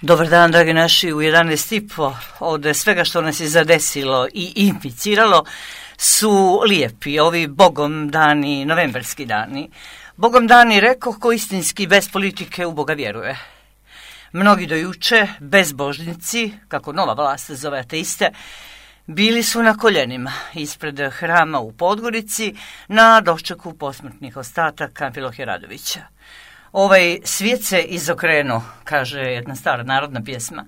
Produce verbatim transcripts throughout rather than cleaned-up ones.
Dobar dan, dragi naši, u jedanaest i po od svega što nas je zadesilo i inficiralo su lijepi, ovi bogom dani, novembarski dani. Bogom dani, rekoh, ko istinski bez politike u Boga vjeruje. Mnogi do juče, bezbožnici, kako nova vlast zove ateiste, bili su na koljenima ispred hrama u Podgorici na dočeku posmrtnih ostataka Amfilohija Radovića. Ovaj svijet se izokrenuo, kaže jedna stara narodna pjesma,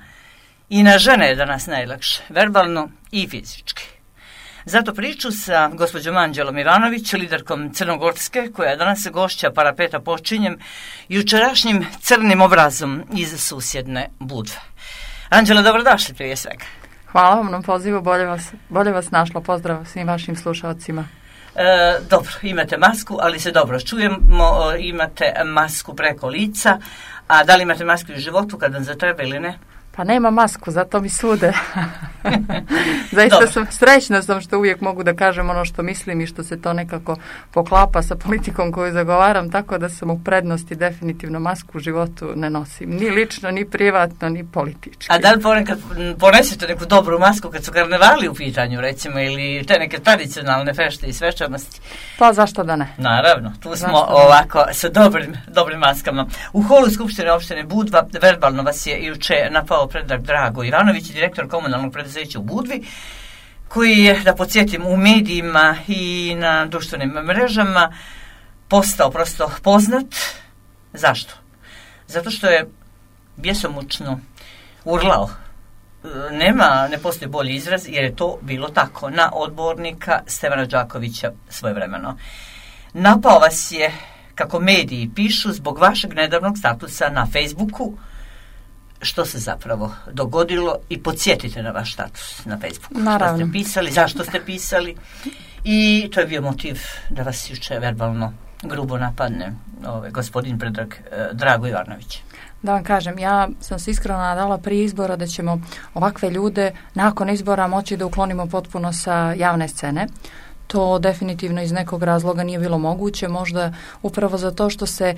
i na žene je danas najlakše, verbalno i fizički. Zato priču sa gospođom Anđelom Ivanović, liderkom Crnogorske, koja danas gošća Parapeta počinjem, jučerašnjim crnim obrazom iz susjedne Budve. Anđela, dobrodošli prije svega. Hvala vam na pozivu, bolje vas, bolje vas našlo, pozdrav svim vašim slušalcima. E, dobro, imate masku, ali se dobro čujemo, imate masku preko lica, a da li imate masku u životu kad vam zatreba ili ne? Pa nema masku, zato mi sude. Zaista sam srećna sam što uvijek mogu da kažem ono što mislim i što se to nekako poklapa sa politikom koju zagovaram, tako da sam u prednosti definitivno masku u životu ne nosim. Ni lično, ni privatno, ni politički. A da li ponekad ponesete neku dobru masku kad su karnevali u pitanju, recimo, ili te neke tradicionalne fešte i svečanosti? Pa zašto da ne? Naravno, tu smo ovako sa dobrim, dobrim maskama. U holu Skupštine opštine Budva verbalno vas je juče napao Predrag Drago Ivanović, direktor komunalnog preduzeća u Budvi, koji je, da podsjetim, u medijima i na društvenim mrežama postao prosto poznat. Zašto? Zato što je bjesomučno urlao. Nema, ne postoji bolji izraz, jer je to bilo tako, na odbornika Stevana Đakovića svojevremeno. Napao vas je, kako mediji pišu, zbog vašeg nedavnog statusa na Facebooku. Što se zapravo dogodilo i podsjetite na vaš status na Facebooku. Naravno. Što ste pisali, zašto ste pisali i to je bio motiv da vas juče verbalno grubo napadne ovaj, gospodin Predrag eh, Drago Ivanović. Da vam kažem, ja sam se iskreno nadala prije izbora da ćemo ovakve ljude nakon izbora moći da uklonimo potpuno sa javne scene. To definitivno iz nekog razloga nije bilo moguće, možda upravo zato što se,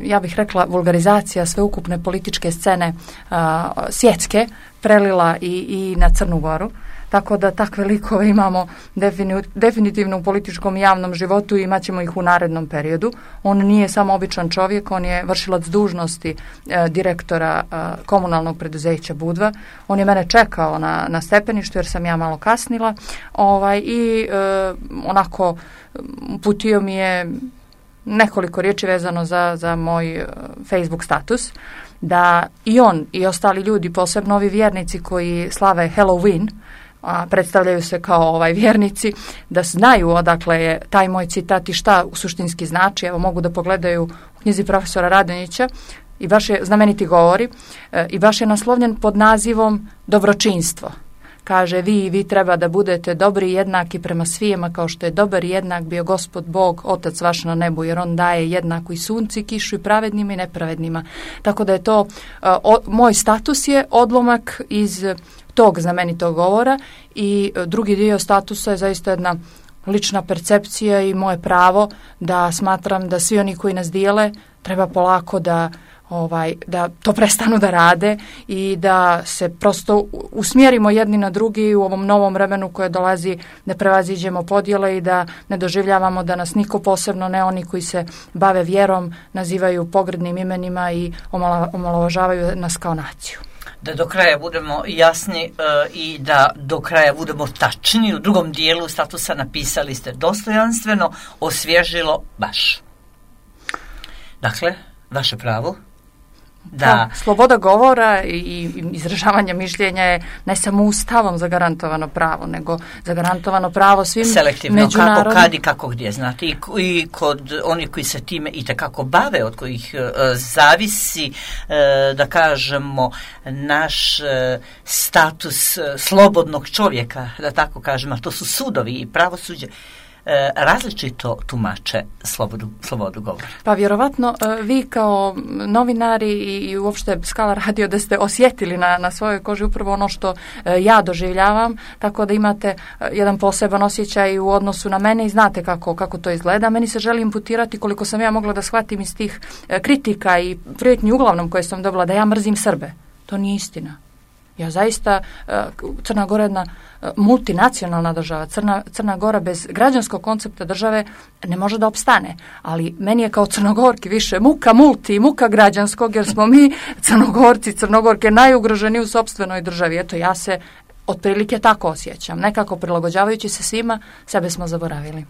ja bih rekla, vulgarizacija sveukupne političke scene a, svjetske prelila i, i na Crnu Goru. Tako da takve likove imamo defini, definitivno u političkom i javnom životu i imat ćemo ih u narednom periodu. On nije samo običan čovjek, on je vršilac dužnosti e, direktora e, komunalnog preduzeća Budva. On je mene čekao na, na stepeništu jer sam ja malo kasnila ovaj, i e, onako uputio mi je nekoliko riječi vezano za, za moj e, Facebook status, da i on i ostali ljudi, posebno ovi vjernici koji slave Halloween, a predstavljaju se kao ovaj vjernici, da znaju odakle je taj moj citat i šta suštinski znači. Evo, mogu da pogledaju u knjizi profesora Radonjića i baš je znameniti govori e, i baš je naslovljen pod nazivom Dobročinstvo. Kaže, vi i vi treba da budete dobri i jednaki prema svijema kao što je dobar i jednak bio Gospod Bog, Otac vaš na nebu, jer on daje jednaku i sunci, kišu i pravednima i nepravednima. Tako da je to, e, o, moj status je odlomak iz tog znamenitog govora i drugi dio statusa je zaista jedna lična percepcija i moje pravo da smatram da svi oni koji nas dijele treba polako da ovaj da to prestanu da rade i da se prosto usmjerimo jedni na drugi u ovom novom vremenu koje dolazi, da prevaziđemo podjele i da ne doživljavamo da nas niko, posebno ne oni koji se bave vjerom, nazivaju pogrdnim imenima i omalovažavaju nas kao naciju. Da do kraja budemo jasni e, i da do kraja budemo tačni, u drugom dijelu statusa napisali ste dostojanstveno, osvježilo baš. Dakle, vaše pravo da... Da, sloboda govora i, i izražavanja mišljenja je ne samo ustavom zagarantovano pravo, nego zagarantovano pravo svim selektivno, međunarodnim... kako, kad i kako gdje, znate, i, i kod onih koji se time i tekako bave, od kojih e, zavisi, e, da kažemo, naš e, status e, slobodnog čovjeka, da tako kažemo, a to su sudovi i pravosuđe, e, različito tumače slobodu, slobodu govora. Pa vjerovatno e, vi kao novinari i, i uopšte Skala radio da ste osjetili na, na svojoj koži upravo ono što e, ja doživljavam, tako da imate e, jedan poseban osjećaj u odnosu na mene i znate kako, kako to izgleda. Meni se želi imputirati, koliko sam ja mogla da shvatim iz tih e, kritika i prijetnji uglavnom koje sam dobila, da ja mrzim Srbe. To nije istina. Ja zaista, Crna Gora je jedna multinacionalna država. Crna, Crna Gora bez građanskog koncepta države ne može da opstane. Ali meni je kao Crnogorki više muka multi i muka građanskog, jer smo mi Crnogorci, Crnogorke najugroženiji u sopstvenoj državi. Eto, ja se otprilike tako osjećam. Nekako prilagođavajući se svima, sebe smo zaboravili.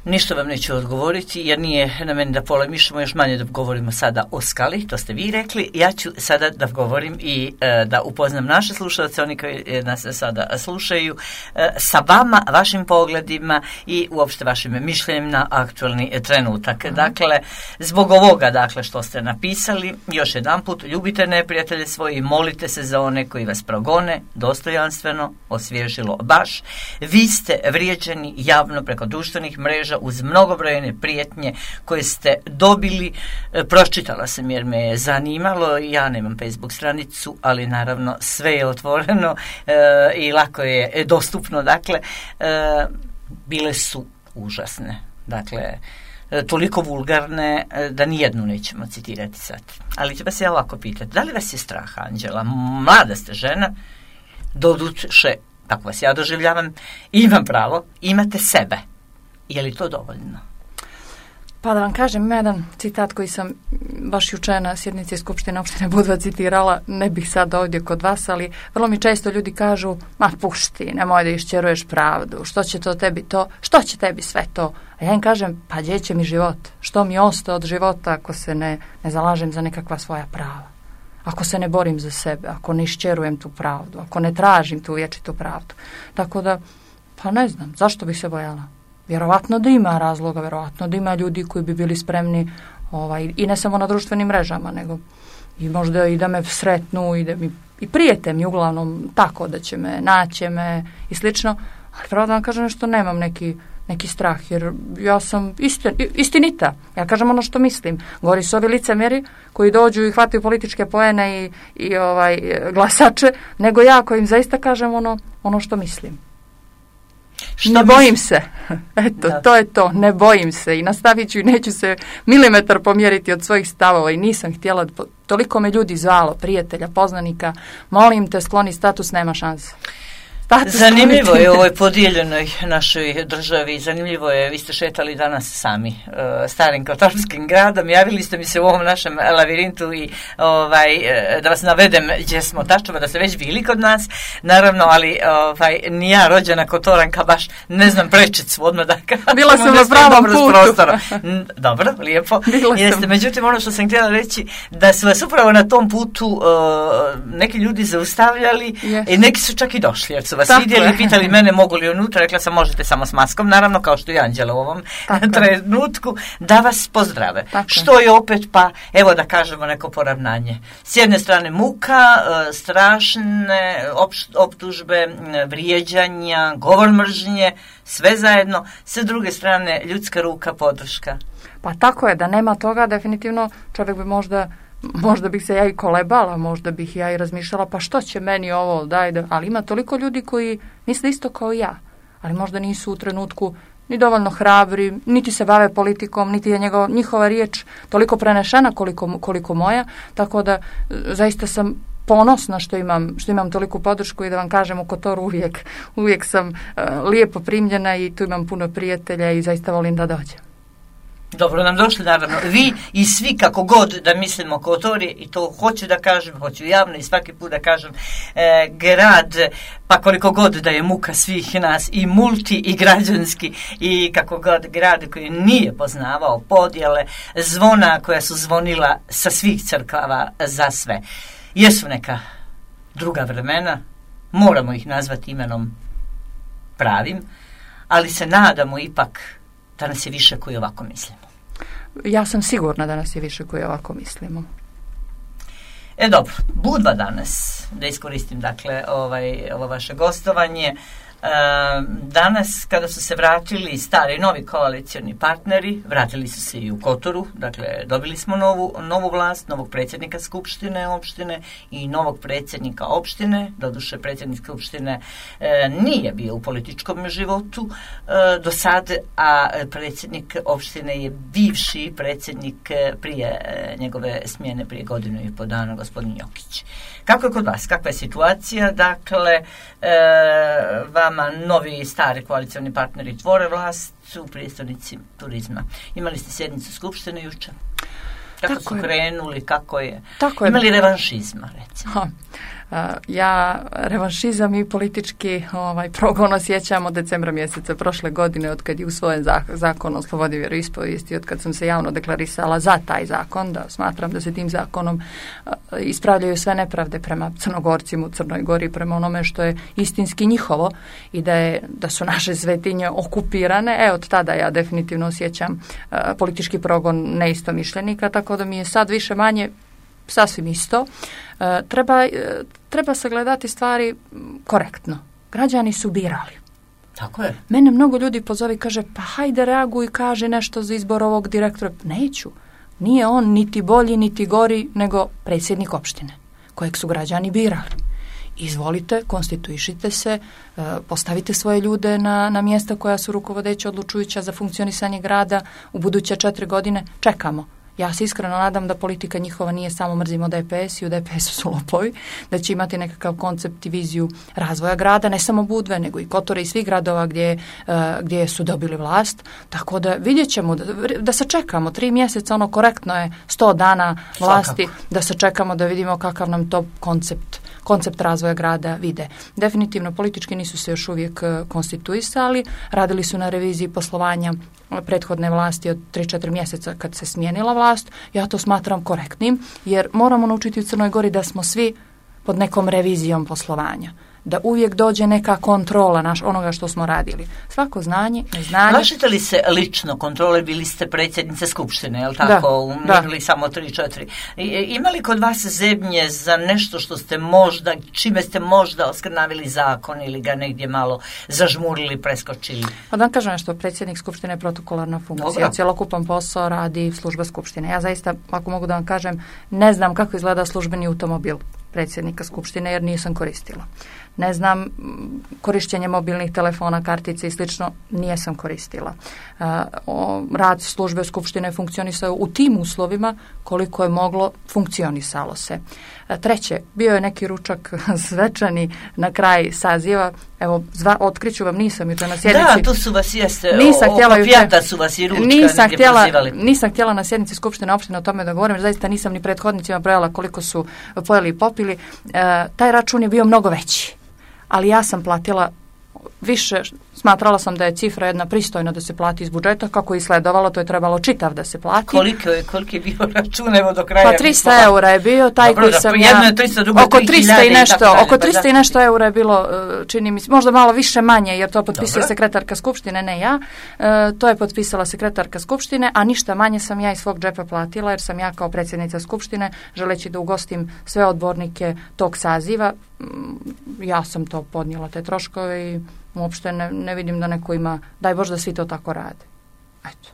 Ništa vam neću odgovoriti, jer nije na meni da polemišemo, još manje da govorimo sada o skali, to ste vi rekli. Ja ću sada da govorim i e, da upoznam naše slušalce, oni koji nas sada slušaju, e, sa vama, vašim pogledima i uopšte vašim mišljenjem na aktualni trenutak. Aha. Dakle, zbog ovoga dakle, što ste napisali, još jedan put, ljubite neprijatelje svoje i molite se za one koji vas progone, dostojanstveno, osvježilo baš. Vi ste vrijeđani javno preko društvenih mreža uz mnogobrojne prijetnje koje ste dobili. E, pročitala sam jer me je zanimalo. Ja nemam Facebook stranicu, ali naravno sve je otvoreno e, i lako je dostupno. Dakle, e, bile su užasne. Dakle, e, toliko vulgarne e, da nijednu nećemo citirati sad. Ali ću vas ja ovako pitati. Da li vas je strah, Anđela? Mlada ste žena, doduše, tako vas ja doživljavam, imam pravo, imate sebe. Je li to dovoljno? Pa da vam kažem, ima jedan citat koji sam baš juče na sjednici Skupštine opštine Budva citirala, ne bih sad ovdje kod vas, ali vrlo mi često ljudi kažu, ma pušti, nemoj da iščeruješ pravdu, što će to tebi to, što će tebi sve to? A ja im kažem, pa gdje će mi život? Što mi ostaje od života ako se ne, ne zalažem za nekakva svoja prava? Ako se ne borim za sebe, ako ne iščerujem tu pravdu, ako ne tražim tu vječitu pravdu. Tako da, pa ne znam, zašto bih se bojala? Vjerovatno da ima razloga, vjerovatno da ima ljudi koji bi bili spremni ovaj, i ne samo na društvenim mrežama, nego i možda i da me sretnu i da mi i prijete mi uglavnom tako da će me, naće me i slično, ali pravo da vam kažem nešto, nemam neki, neki strah, jer ja sam istin, istinita, ja kažem ono što mislim. Gori su ovi licemjeri koji dođu i hvataju političke poene i, i ovaj, glasače, nego ja koji im zaista kažem ono, ono što mislim. Što ne bojim se. Eto, da. To je to. Ne bojim se i nastavit ću i neću se milimetar pomjeriti od svojih stavova i nisam htjela. Toliko me ljudi zvalo, prijatelja, poznanika. Molim te, skloni status, nema šanse. Status zanimljivo je u ovoj podijeljenoj našoj državi. Zanimljivo je, vi ste šetali danas sami uh, starim kotarskim gradom. Javili ste mi se u ovom našem lavirintu i ovaj, uh, da vas navedem gdje smo tačno, da ste već bili kod nas. Naravno, ali ovaj, ni ja rođena Kotoranka baš ne znam prečicu odmah da kažem. Bila sam na pravom putu. Dobro, lijepo. Jeste, međutim, ono što sam htjela reći, da su vas upravo na tom putu uh, neki ljudi zaustavljali yes. i neki su čak i došli, jer su vas tako vidjeli i pitali mene mogu li unutra, rekla sam možete samo s maskom, naravno kao što i Anđela u ovom tako trenutku, da vas pozdrave. Tako. Što je opet pa, evo da kažemo neko poravnanje. S jedne strane muka, strašne optužbe, vrijeđanja, govor mržnje, sve zajedno, s druge strane ljudska ruka, podrška. Pa tako je, da nema toga definitivno čovjek bi možda Možda bih se ja i kolebala, možda bih ja i razmišljala, pa što će meni ovo, daj da, ali ima toliko ljudi koji misle isto kao ja, ali možda nisu u trenutku ni dovoljno hrabri, niti se bave politikom, niti je njegov, njihova riječ toliko prenešena koliko, koliko moja, tako da zaista sam ponosna što imam, što imam toliku podršku i da vam kažem u Kotoru uvijek, uvijek sam uh, lijepo primljena i tu imam puno prijatelja i zaista volim da dođem. Dobro nam došli, naravno, vi i svi kako god da mislimo o Kotori, i to hoću da kažem, hoću javno i svaki put da kažem, e, grad, pa koliko god da je muka svih nas, i multi i građanski, i kako god grad koji nije poznavao podjele, zvona koja su zvonila sa svih crkava za sve. Jesu neka druga vremena, moramo ih nazvati imenom pravim, ali se nadamo ipak da nas je više koji ovako mislimo. Ja sam sigurna da nas je više koji ovako mislimo. E dobro, Budva danas, da iskoristim dakle ovaj, ovo vaše gostovanje, Danas, kada su se vratili stari i novi koalicioni partneri, vratili su se i u Kotoru, dakle dobili smo novu, novu vlast, novog predsjednika Skupštine opštine i novog predsjednika opštine. Doduše, predsjednik Skupštine e, nije bio u političkom životu e, do sad, a predsjednik opštine je bivši predsjednik prije e, njegove smjene prije godinu i po dana, gospodin Jokić. Kako je kod vas? Kakva je situacija? Dakle, e, vama novi i stari koalicioni partneri tvore vlast u prijestolnici turizma. Imali ste sjednicu Skupštine jučer? Kako Tako su je. krenuli? Kako je? Tako je. Imali revanšizma, recimo? Ha. Ja revanšizam i politički ovaj, progon osjećam od decembra mjeseca prošle godine, od kad je usvojen zakon o slobodi vjeroispovijesti, od kad sam se javno deklarisala za taj zakon, da smatram da se tim zakonom ispravljaju sve nepravde prema Crnogorcima u Crnoj Gori, prema onome što je istinski njihovo i da, je, da su naše svetinje okupirane. E, od tada ja definitivno osjećam politički progon neistomišljenika, tako da mi je sad više manje sasvim isto. E, treba, e, treba sagledati stvari korektno. Građani su birali. Tako je. Mene mnogo ljudi pozovi i kaže, pa hajde reaguj i kaže nešto za izbor ovog direktora. Neću. Nije on niti bolji, niti gori, nego predsjednik opštine, kojeg su građani birali. Izvolite, konstituišite se, e, postavite svoje ljude na, na mjesta koja su rukovodeća, odlučujuća za funkcionisanje grada u buduće četiri godine. Čekamo. Ja se iskreno nadam da politika njihova nije samo mrzimo D P S i u D P S-u su lopovi, da će imati nekakav koncept i viziju razvoja grada, ne samo Budve, nego i Kotore i svih gradova gdje, uh, gdje su dobili vlast. Tako da vidjet ćemo, da, da se čekamo, tri mjeseca, ono korektno je sto dana vlasti, Svakako. Da se čekamo da vidimo kakav nam to koncept koncept razvoja grada vide. Definitivno politički nisu se još uvijek konstituisali, radili su na reviziji poslovanja prethodne vlasti od tri četiri mjeseca kad se smijenila vlast. Ja to smatram korektnim, jer moramo naučiti u Crnoj Gori da smo svi pod nekom revizijom poslovanja. Da uvijek dođe neka kontrola naš, onoga što smo radili. Svako znanje, neznanje. Plašite li se lično kontrole? Bili ste predsjednice Skupštine, je li tako? Umrli samo tri četiri. Ima li kod vas zebnje za nešto što ste možda, čime ste možda oskrnavili zakon ili ga negdje malo zažmurili, preskočili? Pa da vam kažem nešto, predsjednik Skupštine je protokolarna funkcija. Dobro. Cjelokupan posao radi služba Skupštine. Ja zaista, ako mogu da vam kažem, ne znam kako izgleda službeni automobil predsjednika Skupštine jer nisam koristila. Ne znam, korištenje mobilnih telefona, kartice i slično, nijesam koristila. Uh, o, rad službe Skupštine funkcionisao u tim uslovima koliko je moglo, funkcionisalo se. Uh, treće, bio je neki ručak svečani na kraj saziva. Evo, zva, otkriću vam, nisam jučer na sjednici. Da, tu su vas jeste, nisam htjela oko pijata su vas i ručka nisam htjela, pozivali. Nisam htjela na sjednici Skupštine opštine o tome da govorim, jer zaista nisam ni prethodnicima brojala koliko su pojeli i popili. Uh, taj račun je bio mnogo veći. Ali ja sam platila više, smatrala sam da je cifra jedna pristojna da se plati iz budžeta, kako je sledovalo, to je trebalo čitav da se plati. Koliko je, koliko je bio račun, evo do kraja? Pa trista eura je bio, taj Dobro, koji da, sam jedno ja, je trista, drugo je oko trista i nešto, i oko trista pa i nešto eura je bilo, čini mi se, možda malo više manje, jer to potpisuje Dobro. sekretarka Skupštine, ne ja, e, to je potpisala sekretarka Skupštine, a ništa manje sam ja iz svog džepa platila, jer sam ja kao predsjednica Skupštine, želeći da ugostim sve odbornike tog saziva, ja sam to podnijela, te troškove i uopšte ne, ne vidim da neko ima, daj Bože da svi to tako rade. Eto.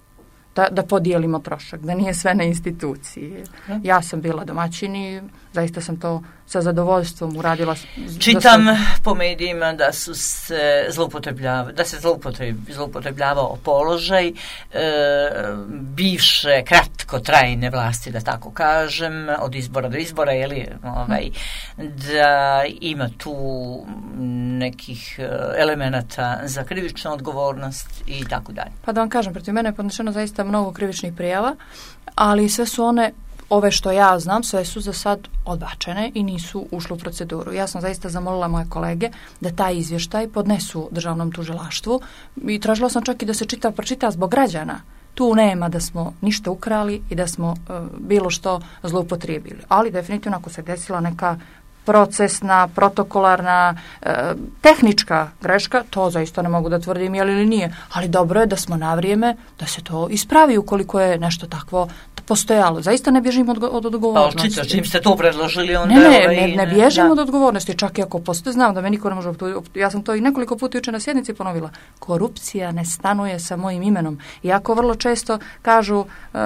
Da, da podijelimo trošak, da nije sve na instituciji. Ja sam bila domaćin i zaista sam to sa zadovoljstvom uradila. Čitam da su... po medijima da su se zloupotrebljavali, da se zloupotrebljavao položaj e, bivše kratkotrajne vlasti, da tako kažem, od izbora do izbora, jeli, ovaj, da ima tu nekih elemenata za krivičnu odgovornost i tako dalje. Pa da vam kažem, protiv mene je podnešeno zaista mnogo krivičnih prijava, ali sve su one, ove što ja znam, sve su za sad odbačene i nisu ušle u proceduru. Ja sam zaista zamolila moje kolege da taj izvještaj podnesu državnom tužilaštvu i tražila sam čak i da se čita, pročita zbog građana. Tu nema da smo ništa ukrali i da smo uh, bilo što zloupotrijebili. Ali definitivno ako se desila neka procesna, protokolarna, e, tehnička greška, to zaista ne mogu da tvrdim je li ili nije, ali dobro je da smo na vrijeme da se to ispravi ukoliko je nešto takvo postojalo. Zaista ne bježim od, od odgovornosti. Pa očito, čim ste to predložili, onda... Ne, ne, ovaj, ne, ne bježim da. od odgovornosti, čak i ako postoji, znam da me niko ne može... Ja sam to i nekoliko puta jučer na sjednici ponovila. Korupcija ne stanuje sa mojim imenom. Iako vrlo često kažu e,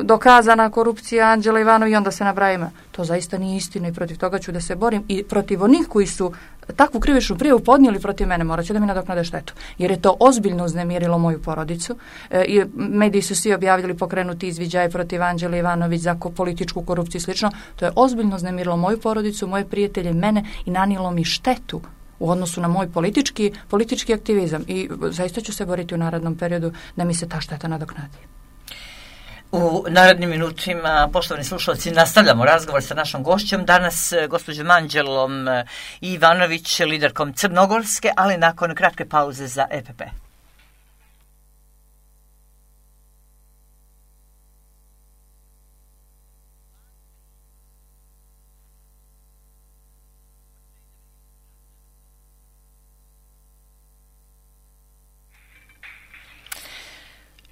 dokazana korupcija Anđela Ivanović i onda se nabraja ime. To zaista nije istina i protiv toga ću da se borim. I protiv onih koji su takvu krivičnu prijavu podnijeli protiv mene, morat će da mi nadoknade štetu. Jer je to ozbiljno uznemirilo moju porodicu. E, i mediji su svi objavili pokrenuti izviđaj protiv Anđele Ivanović za političku korupciju i slično. To je ozbiljno uznemirilo moju porodicu, moje prijatelje, mene i nanijelo mi štetu u odnosu na moj politički, politički aktivizam. I zaista ću se boriti u narednom periodu da mi se ta šteta nadoknadi. U narednim minutima, poštovani slušalci, nastavljamo razgovor sa našom gošćom. Danas gospođom Anđelom Ivanović, liderkom Crnogorske, ali nakon kratke pauze za E P P.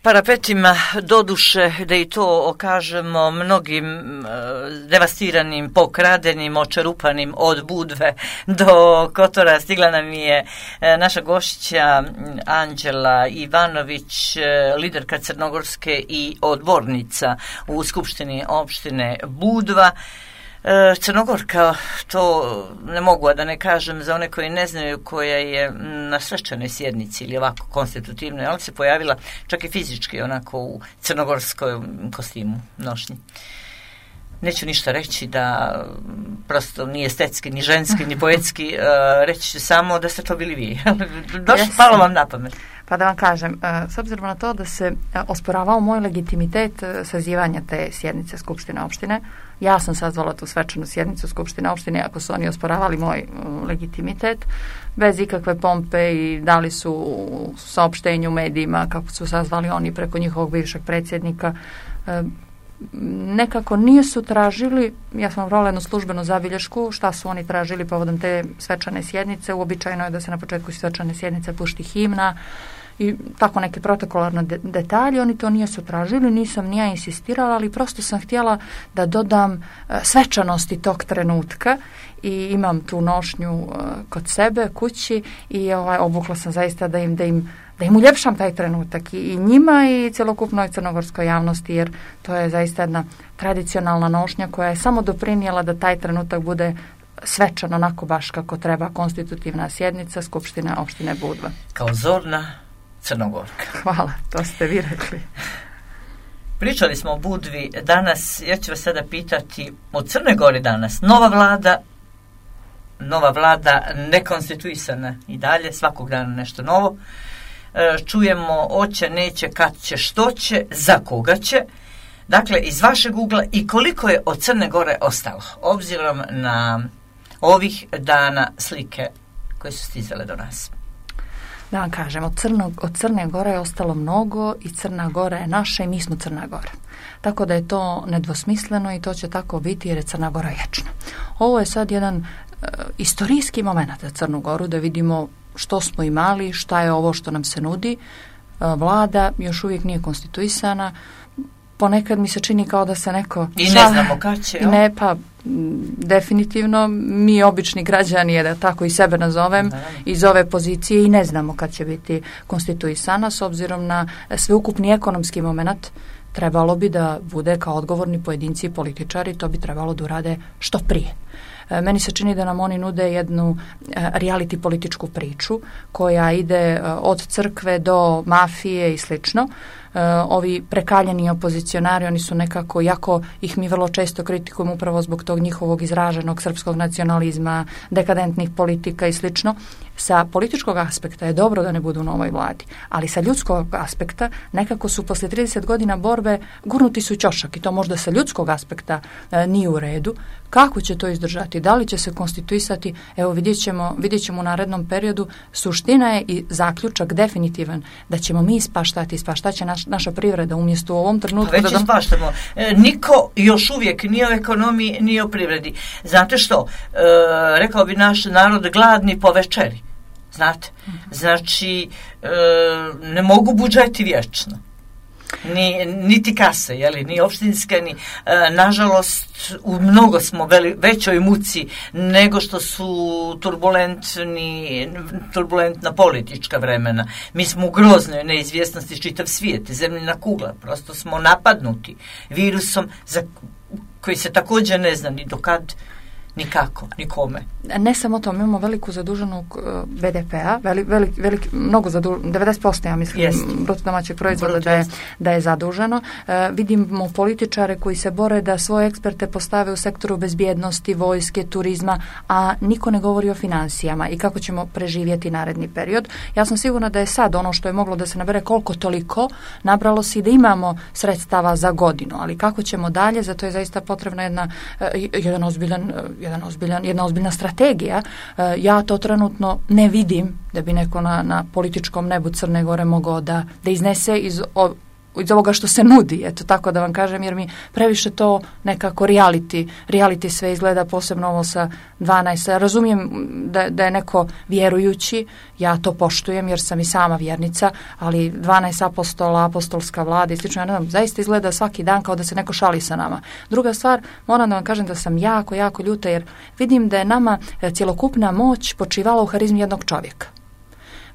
Parapetima, doduše, da i to okažemo mnogim e, devastiranim, pokradenim, očerupanim od Budve do Kotora, stigla nam je e, naša gošća Anđela Ivanović, e, liderka Crnogorske i odbornica u Skupštini opštine Budva. Crnogorka, to ne mogu, a da ne kažem za one koji ne znaju, koja je na svečanoj sjednici ili ovako konstitutivnoj, ali se pojavila čak i fizički onako u crnogorskom kostimu nošnji. Neću ništa reći da prosto nije estetski, ni ženski, ni poetski, reći ću samo da ste to bili vi. Došlo, palo vam na pamet. Pa da vam kažem, s obzirom na to da se osporavao moj legitimitet sazivanja te sjednice Skupštine opštine, ja sam sazvala tu svečanu sjednicu Skupštine opštine, ako su oni osporavali moj legitimitet, bez ikakve pompe i dali su u saopštenju medijima kako su sazvali oni preko njihovog bivšeg predsjednika, nekako nisu tražili, ja sam napravila jednu službenu zabilješku šta su oni tražili povodom te svečane sjednice. Uobičajeno je da se na početku svečane sjednice pušti himna i tako neke protokolarne de- detalje. Oni to nisu tražili, nisam ni ja insistirala, ali prosto sam htjela da dodam uh, svečanosti tog trenutka i imam tu nošnju uh, kod sebe kući i ovaj, obukla sam zaista da im, da im da im uljepšam taj trenutak i, i njima i cjelokupnoj crnogorskoj javnosti, jer to je zaista jedna tradicionalna nošnja koja je samo doprinijela da taj trenutak bude svečan, onako baš kako treba, konstitutivna sjednica Skupštine opštine Budva. Kao zorna Crnogorka. Hvala, to ste vi rekli. Pričali smo o Budvi danas, ja ću vas sada pitati o Crnoj Gori danas. Nova vlada, nova vlada nekonstituisana i dalje, svakog dana nešto novo. Čujemo oće, neće, kad će, što će, za koga će. Dakle, iz vašeg ugla i koliko je od Crne Gore ostalo, obzirom na ovih dana slike koje su stizale do nas. Da vam kažem, od, Crnog, od Crne Gore je ostalo mnogo i Crna Gora je naša i mi smo Crna Gora. Tako da je to nedvosmisleno i to će tako biti jer je Crna Gora vječna. Ovo je sad jedan uh, istorijski moment za Crnu Goru, da vidimo što smo imali, šta je ovo što nam se nudi. Vlada još uvijek nije konstituisana. Ponekad mi se čini kao da se neko... I ne znamo kad će. Ne, pa definitivno mi obični građani, je da tako i sebe nazovem, da. Iz ove pozicije i ne znamo kad će biti konstituisana s obzirom na sveukupni ekonomski moment. Trebalo bi da bude kao odgovorni pojedinci i političari, to bi trebalo da urade što prije. Meni se čini da nam oni nude jednu reality političku priču koja ide od crkve do mafije i slično. Ovi prekaljeni opozicionari, oni su nekako, jako ih mi vrlo često kritikujemo upravo zbog tog njihovog izraženog srpskog nacionalizma, dekadentnih politika i slično. Sa političkog aspekta je dobro da ne budu u novoj vladi, ali sa ljudskog aspekta nekako su poslije trideset godina borbe gurnuti su ćošak i to možda sa ljudskog aspekta e, nije u redu. Kako će to izdržati? Da li će se konstituisati? Evo vidjet ćemo, vidjet ćemo u narednom periodu. Suština je i zaključak definitivan da ćemo mi ispaštati, ispaštaće naš, naša privreda umjesto u ovom trenutku. Pa već da ispaštamo. E, niko još uvijek ni o ekonomiji, ni o privredi. Znate što? E, rekao bi naš narod gladni po večeri. Znate? Znači, e, ne mogu budžeti vječno. Ni, niti kase, jeli, ni opštinske, ni, e, nažalost, u mnogo smo veli, većoj muci nego što su turbulentni, turbulentna politička vremena. Mi smo u groznoj neizvjesnosti, čitav svijet, zemljina kugla, prosto smo napadnuti virusom za koji se također ne zna ni dokad, nikako, nikome. Ne samo to, mi imamo veliku zaduženu B D P-a, velik, velik, velik, mnogo zaduženo, devedeset posto ja mislim, bruto domaćeg proizvoda da je, da je zaduženo. E, vidimo političare koji se bore da svoje eksperte postave u sektoru bezbjednosti, vojske, turizma, a niko ne govori o financijama i kako ćemo preživjeti naredni period. Ja sam sigurna da je sad ono što je moglo da se nabere koliko toliko, nabralo se i da imamo sredstava za godinu, ali kako ćemo dalje, zato je zaista potrebna jedna, jedan ozbiljan Jedan ozbiljan, jedna ozbiljna strategija. E, ja to trenutno ne vidim da bi neko na, na političkom nebu Crne Gore mogao da, da iznese iz, o, iz ovoga što se nudi, eto tako da vam kažem, jer mi previše to nekako reality, reality sve izgleda, posebno ovo sa dvanaest. Razumijem da, da je neko vjerujući, ja to poštujem jer sam i sama vjernica, ali dvanaest apostola, apostolska vlada i slično, ja ne znam, zaista izgleda svaki dan kao da se neko šali sa nama. Druga stvar, moram da vam kažem da sam jako, jako ljuta jer vidim da je nama cjelokupna moć počivala u harizmi jednog čovjeka.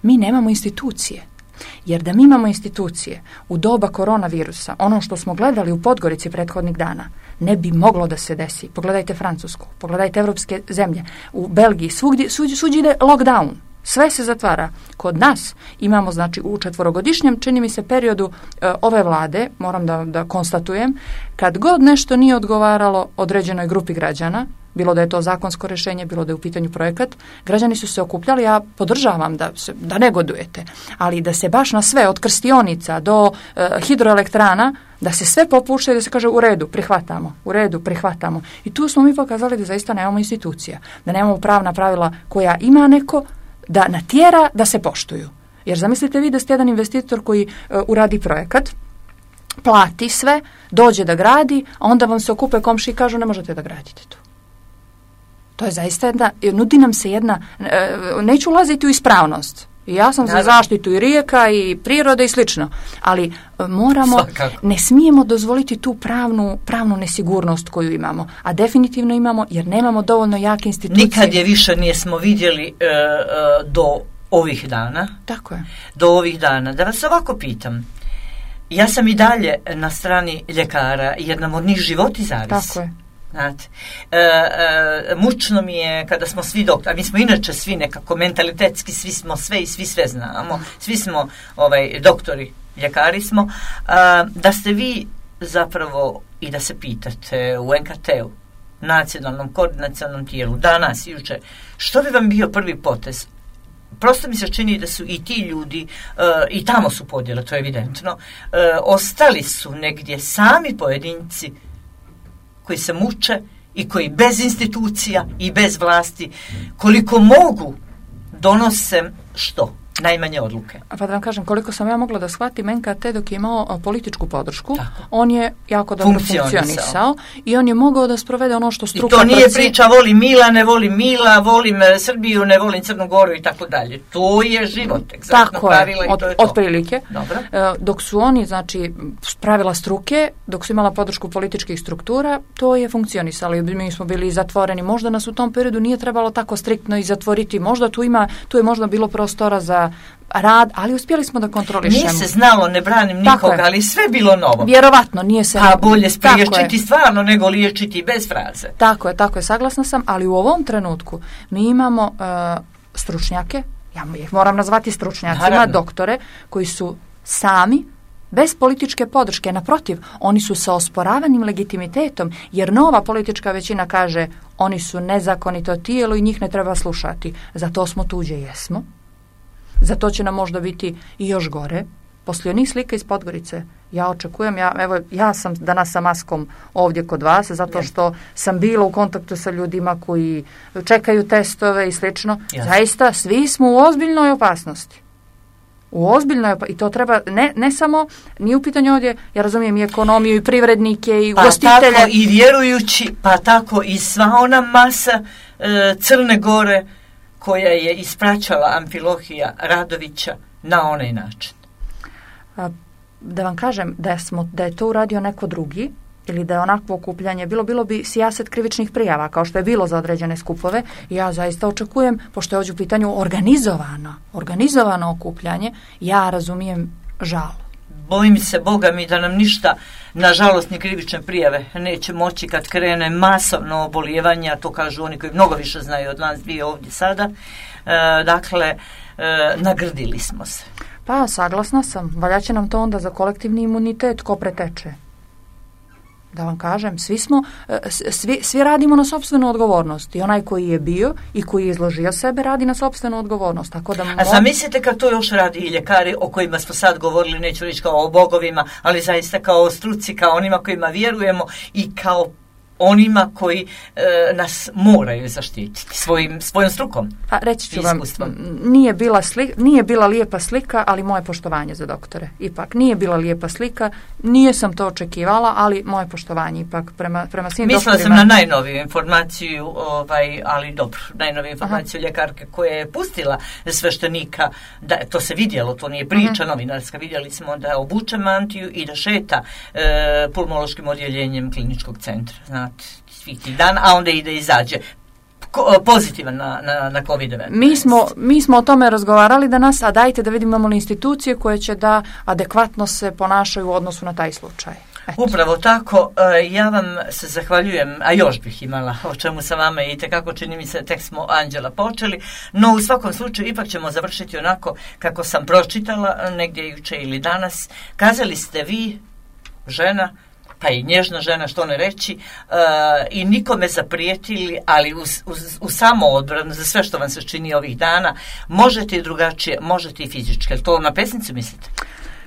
Mi nemamo institucije. Jer da mi imamo institucije u doba koronavirusa, ono što smo gledali u Podgorici prethodnih dana, ne bi moglo da se desi. Pogledajte Francusku, pogledajte evropske zemlje, u Belgiji, svugdje, svugdje, svugdje ide lockdown. Sve se zatvara. Kod nas imamo, znači, u četvorogodišnjem, čini mi se, periodu e, ove vlade, moram da, da konstatujem, kad god nešto nije odgovaralo određenoj grupi građana, bilo da je to zakonsko rješenje, bilo da je u pitanju projekat, građani su se okupljali, ja podržavam da, se, da negodujete, ali da se baš na sve, od krstionica do e, hidroelektrana, da se sve popušta i da se kaže u redu, prihvatamo, u redu, prihvatamo. I tu smo mi pokazali da zaista nemamo institucija, da nemamo pravna pravila koja ima neko, da natjera da se poštuju. Jer zamislite vi da ste jedan investitor koji uh, uradi projekat, plati sve, dođe da gradi, a onda vam se okupe komši i kažu ne možete da gradite tu. To je zaista jedna, nudi nam se jedna, uh, neću ulaziti u ispravnost. Ja sam za zaštitu i rijeka i prirode i slično, ali moramo, Svakako. ne smijemo dozvoliti tu pravnu, pravnu nesigurnost koju imamo, a definitivno imamo jer nemamo dovoljno jake institucije. Nikad je više nismo vidjeli e, e, do ovih dana. Tako je. Do ovih dana. Da vas ovako pitam, ja sam i dalje na strani ljekara jer nam od njih životi zavisi. Tako je. Znate, e, e, mučno mi je kada smo svi doktori, a mi smo inače svi nekako mentalitetski, svi smo sve i svi sve znamo, svi smo ovaj, doktori, ljekari smo, a, da ste vi zapravo i da se pitate u N K T-u, nacionalnom koordinacionalnom tijelu, danas i jučer, što bi vam bio prvi potez? Prosto mi se čini da su i ti ljudi, uh, i tamo su podjele, to je evidentno, uh, ostali su negdje sami pojedinci koji se muče i koji bez institucija i bez vlasti koliko mogu donose što? Najmanje odluke. Pa da vam kažem, koliko sam ja mogla da shvatim, N K T dok je imao političku podršku, tako. On je jako dobro funkcionisao i on je mogao da sprovede ono što struka... I to nije proci... priča volim Mila, ne volim Mila, volim Srbiju, ne volim Crnu Goru i tako dalje. To je život, egzaktno pravila i to je to. Otprilike. Dok su oni, znači, pravila struke, dok su imala podršku političkih struktura, to je funkcionisalo. Mi smo bili zatvoreni. Možda nas u tom periodu nije trebalo tako striktno i zatvoriti. Možda tu ima, tu je možda bilo prostora za rad, ali uspjeli smo da kontrolišemo. Nije se znalo, ne branim nikoga, ali sve bilo novo. Vjerovatno, nije se... Pa bolje spriječiti stvarno nego liječiti bez fraze. Tako je, tako je, saglasna sam, ali u ovom trenutku mi imamo uh, stručnjake, ja ih moram nazvati stručnjacima, Naravno. doktore, koji su sami, bez političke podrške, naprotiv, oni su sa osporavanim legitimitetom, jer nova politička većina kaže oni su nezakonito tijelo i njih ne treba slušati. Zato smo tuđe, jesmo. Zato će nam možda biti i još gore. Poslije onih slika iz Podgorice, ja očekujem, ja, evo, ja sam danas sa maskom ovdje kod vas, zato što sam bila u kontaktu sa ljudima koji čekaju testove i slično. Jasne. Zaista, svi smo u ozbiljnoj opasnosti. U ozbiljnoj opasnosti. I to treba, ne, ne samo, nije u pitanju ovdje, ja razumijem i ekonomiju, i privrednike, i pa ugostitelje. Pa tako i vjerujući, pa tako i sva ona masa e, Crne Gore koja je ispraćala Amfilohija Radovića na onaj način. A, da vam kažem da, smo, da je to uradio neko drugi, ili da je onakvo okupljanje bilo, bilo bi sijaset krivičnih prijava, kao što je bilo za određene skupove. I ja zaista očekujem, pošto je ovdje u pitanju organizovano, organizovano okupljanje, ja razumijem žal. Bojim se, Boga mi, da nam ništa, nažalost, ni krivične prijave neće moći kad krene masovno obolijevanje, a to kažu oni koji mnogo više znaju od nas dvije ovdje sada. E, dakle, e, nagrdili smo se. Pa, saglasna sam. Valja će nam to onda za kolektivni imunitet ko preteče. Da vam kažem, svi smo, svi, svi radimo na sopstvenu odgovornost. I onaj koji je bio i koji je izložio sebe radi na sopstvenu odgovornost. Tako da mo... A zamislite kad to još radi i ljekari o kojima smo sad govorili, neću reći kao o bogovima, ali zaista kao o struci, kao onima kojima vjerujemo i kao onima koji e, nas moraju zaštititi svojim, svojom strukom. Pa reći ću vam, nije bila, sli, nije bila lijepa slika, ali moje poštovanje za doktore. Ipak, nije bila lijepa slika, nije sam to očekivala, ali moje poštovanje ipak prema, prema svim Mislila doktorima. Mislila sam na najnoviju informaciju, ovaj, ali dobro, najnoviju informaciju Aha. ljekarke koja je pustila sveštenika, da to se vidjelo, to nije priča Aha. novinarska, vidjeli smo da obuče mantiju i da šeta e, pulmološkim odjeljenjem kliničkog centra, znate, svih tih dana, a onda ide i izađe Ko, pozitivan na, na, na kovid devetnaest. Mi smo, mi smo o tome razgovarali danas, a dajte da vidimo li institucije koje će da adekvatno se ponašaju u odnosu na taj slučaj. Eto. Upravo tako, ja vam se zahvaljujem, a još bih imala o čemu sa vama i tekako čini mi se, tek smo Anđela počeli, no u svakom slučaju ipak ćemo završiti onako kako sam pročitala negdje juče ili danas. Kazali ste vi, žena, pa i nježna žena, što ne reći, uh, i nikome zaprijetili, ali u, u, u samoodbranu za sve što vam se čini ovih dana, možete i drugačije, možete i fizički. To na pesnicu mislite?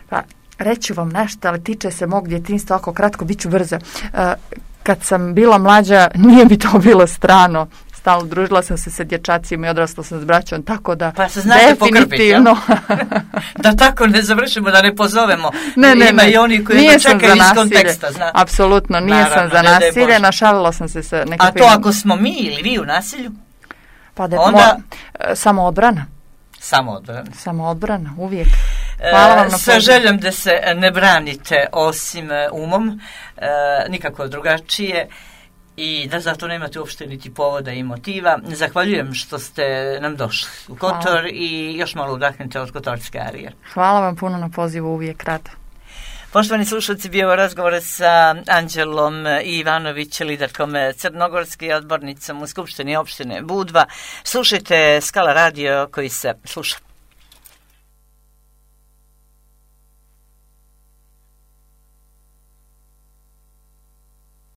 Pa, reću vam nešto, ali tiče se mog djetinjstva, ako kratko, bit ću brza. Uh, kad sam bila mlađa, nije mi to bilo strano. Stalno družila sam se sa dječacima i odrasla sam s braćom, tako da pa se znate definitivno da tako ne završimo, da ne pozovemo. Ne, ne, ima ne. i oni koji to čekaju iz konteksta. Zna. Apsolutno, nisam za nasilje, našalila sam se sa nekakvim... A to ako smo mi ili vi u nasilju? Pa da, onda... mo... Samoodbrana. Samoodbrana. Samoodbrana, uvijek. Hvala vam na sa željom da se ne branite osim umom, e, nikako drugačije, i da zato nemate uopšte niti povoda i motiva. Zahvaljujem što ste nam došli u Kotor. Hvala. I još malo udahnite od kotorske arije. Hvala vam puno na pozivu, uvijek rado. Poštovani slušalci, bio je razgovor sa Anđelom Ivanović, liderkom crnogorske, odbornicom u Skupštini opštine Budva. Slušajte Skala radio koji se sluša.